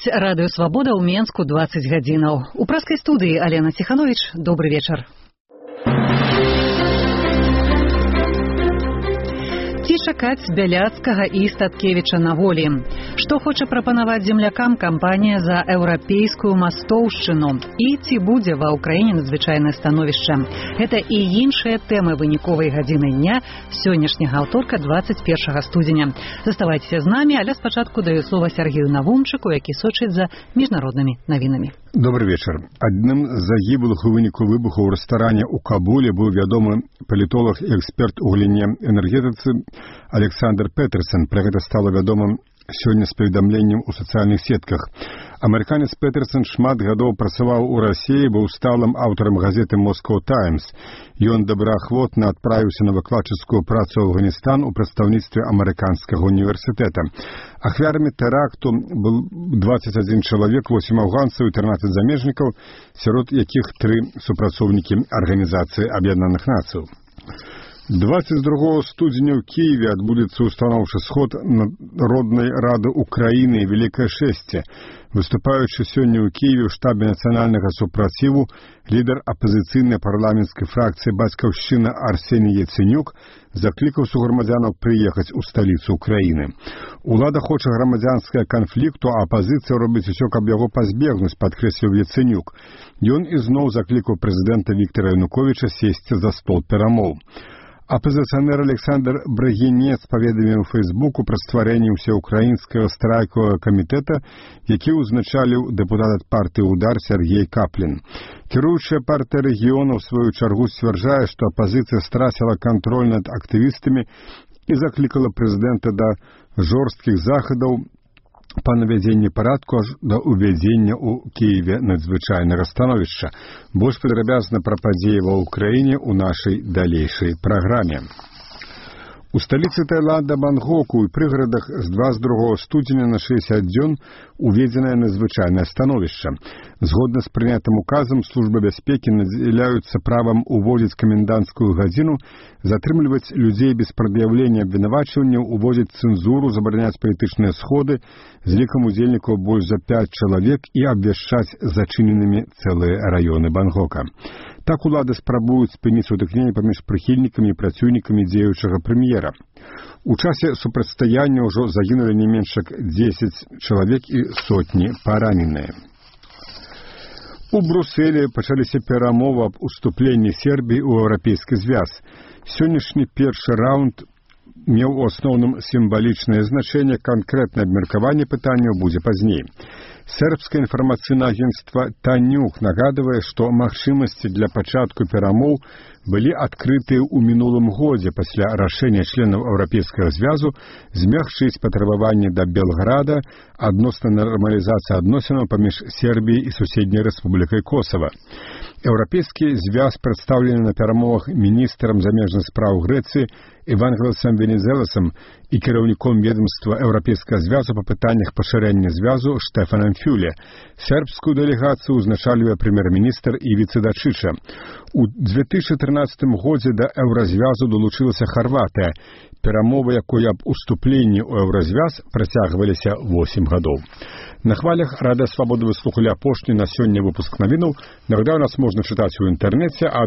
слухаюць радыё «Свабода» ў Менску 20 гадзінаў. У праскай студыі Алена Сиханович. Добры вечар. Ці чакаць Бяляцкага і Статкевіча на волі? Што хоча прапанаваць землякам кампанія за еўрапейскую мастоўшчыну? І ці будзе ва ўкраіне надзвычайнае становішча? Гэта і іншыя тэмы выніковай гадзіны дня сённяшняга аўторка 21 студзеня. Заставайцеся з намі, але спачатку даю слова Сергею Навумчыку, які сочыць за міжнароднымі навінамі. Добрый вечар. Адным з загіблых у выніку выбуху ў рэстаране ў Кабуле быў вядомы палітолог і эксперт у галіне энергетыцы Александр Петерсон. Пра гэта стала вядомым сёння з паведамленнем у сацыяльных сетках. Амерыканец Петерсон шмат гадоў працаваў у Расіі, быў сталым аўтарам газеты «Москоу Таймс». Ён добраахвотна адправіўся на выкладчыцкую працу ў Афганістан у прадстаўніцтве амерыканскага універсітэта. Ахвярамі тэракту был 21 чалавек, 8 афганцаў і 13 замежнікаў, сярод якіх 3 супрацоўнікі Арганізацыі Аб'яднаных Нацыяў. 22 студзеня ў Киеве адбудзецца устаноўчы сход Народнай рады Украіны і Великае Шэсце. Выступаючы сёння ў Киеве ў штабе нацыянальнага супраціву, лідар апазіцыйнай парламенцкай фракцыі «Бацькаўшчына» Арсеній Яценюк заклікаў суграмадзянаў прыехаць у сталіцу Украіны. Улада хоча грамадзянскага канфлікту, а апазіцыя робіць усё, каб яго пазбегнуць, падкрэсліў Яценюк. Ён ізноў заклікаў прэзідэнта Віктара Януковіча сесці за стол перамоў. Апазіцыянер Александр Брагінец паведаміў у Фейсбуку пра стварэнне ўсеўкраінскага страйкавага камітэта, які ўзначаліў дэпутат ад партыі «Удар» Сергей Каплін. Кіруючая партыя рэгіёна ў сваю чаргу сцвярджае, што апазіцыя страціла кантроль над актывістамі і заклікала прэзідэнта да жорсткіх захадаў па навядзенні парадку аж да ўвядзення ў Кіеве надзвычайнага становішча. Больш падрабязна пра падзеі ва ўкраіне ў нашай далейшай праграме. У сталіцы Таіланда Бангкоку і прыгарадах з 22 студзеня на 60 дзён уведзенае надзвычайнае становішча. Згодна з прынятым указам, службы бяспекі надзяляюцца правам уводзіць каменданцкую гадзіну, затрымліваць людзей без прад'яўлення абвінавачванняў, уводзіць цэнзуру, забараняць палітычныя сходы з лікам удзельнікаў больш за 5 чалавек і абвяшчаць зачыненымі цэлыя раёны Бангкока. Так улады спрабуюць спыніць сутыкненне паміж прыхільнікамі і праціўнікамі дзеючага прэм'ера. У часе супрацьстаяння ўжо загінулі не менш як 10 чалавек і сотні параненыя. У Брусэлі пачаліся перамовы аб уступленні Сербіі ў еўрапейскі звяз. Сённяшні першы раунд меў у асноўным сімвалічнае значэнне, канкрэтнае абмеркаванне пытанняў будзе пазней. Сербскае інфармацыйнае агенцтва «Танюк» нагадвае, што магчымасці для пачатку перамоў былі адкрытыя ў мінулым годзе пасля рашэння членаў еўрапейскага звязу змягчыць патрабаванні да Белграда адносна нармалізацыі адносінаў паміж Сербіяй і суседняй рэспублікай Косава. Еўрапейскі звяз прадстаўлены на перамовах міністрам замежных спраў Грэцыі Евангеласам Венізеласам і кіраўніком ведомства Еўрапейскага звязу па пытаннях пашырэння звязу Штефанам Фюле. Сербскую дэлегацыю ўзначальвае прэм'ер-міністр Івіца Дачыча. У 2013 годзе да еўразвязу далучылася Харватыя. Перамовы, якой аб уступленні ў еўразвяз працягваліся 8 гадоў. На хвалях Радыё Свабода вы слухалі апошні на сёння выпуск навінаў. Нагадаю, нас можна чытаць у інтэрнэце, а